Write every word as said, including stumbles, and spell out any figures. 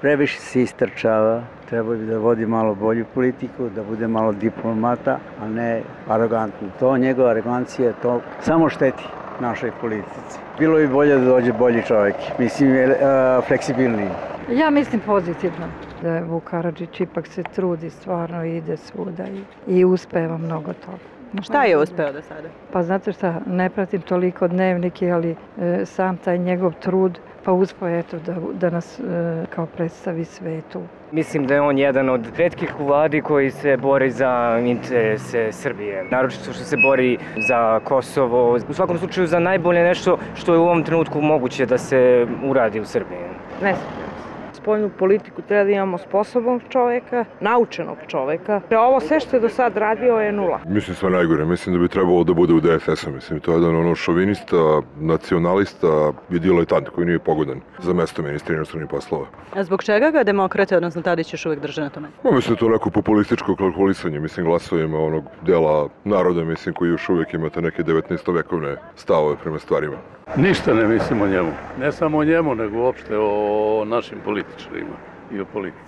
Previše se istrčava, treba bi da vodi malo bolju politiku, da bude malo diplomata, a ne arogantno. To, njegova arogancija, to samo šteti našoj politici. Bilo bi bolje da dođe bolji čovjek, mislim, fleksibilniji. Ja mislim pozitivno da je Vuk Karadžić ipak se trudi stvarno i ide svuda i, i uspeva mnogo toga. Šta je uspeo do sada? Pa znate šta, ne pratim toliko dnevnike, ali e, sam taj njegov trud, pa uspeo eto da, da nas e, kao predstavi svetu. Mislim da je on jedan od retkih u vladi koji se bori za interese Srbije. Naročito što se bori za Kosovo. U svakom slučaju za najbolje nešto što je u ovom trenutku moguće da se uradi u Srbiji. Ne znam. Spoljnu politiku treba da imamo sposobnog čoveka, naučenog čoveka. Ovo sve što je do sad radio je nula. Mislim sve najgore. Mislim da bi trebalo da bude u D S S-u. Mislim, to je jedan ono šovinista, nacionalista i diletant koji nije pogodan za mesto ministra inostranih poslova. A zbog čega ga demokrate, odnosno Tadić, još uvijek drže na tome? Ma, mislim da to neko populističko kalkulisanje, mislim, glasovima onog dela naroda, mislim, koji još uvijek imate neke devetnaestovekovne stavove prema stvarima. Ništa ne mislim o njemu. Ne samo o njemu, nego uopšte o našim političarima i o politici.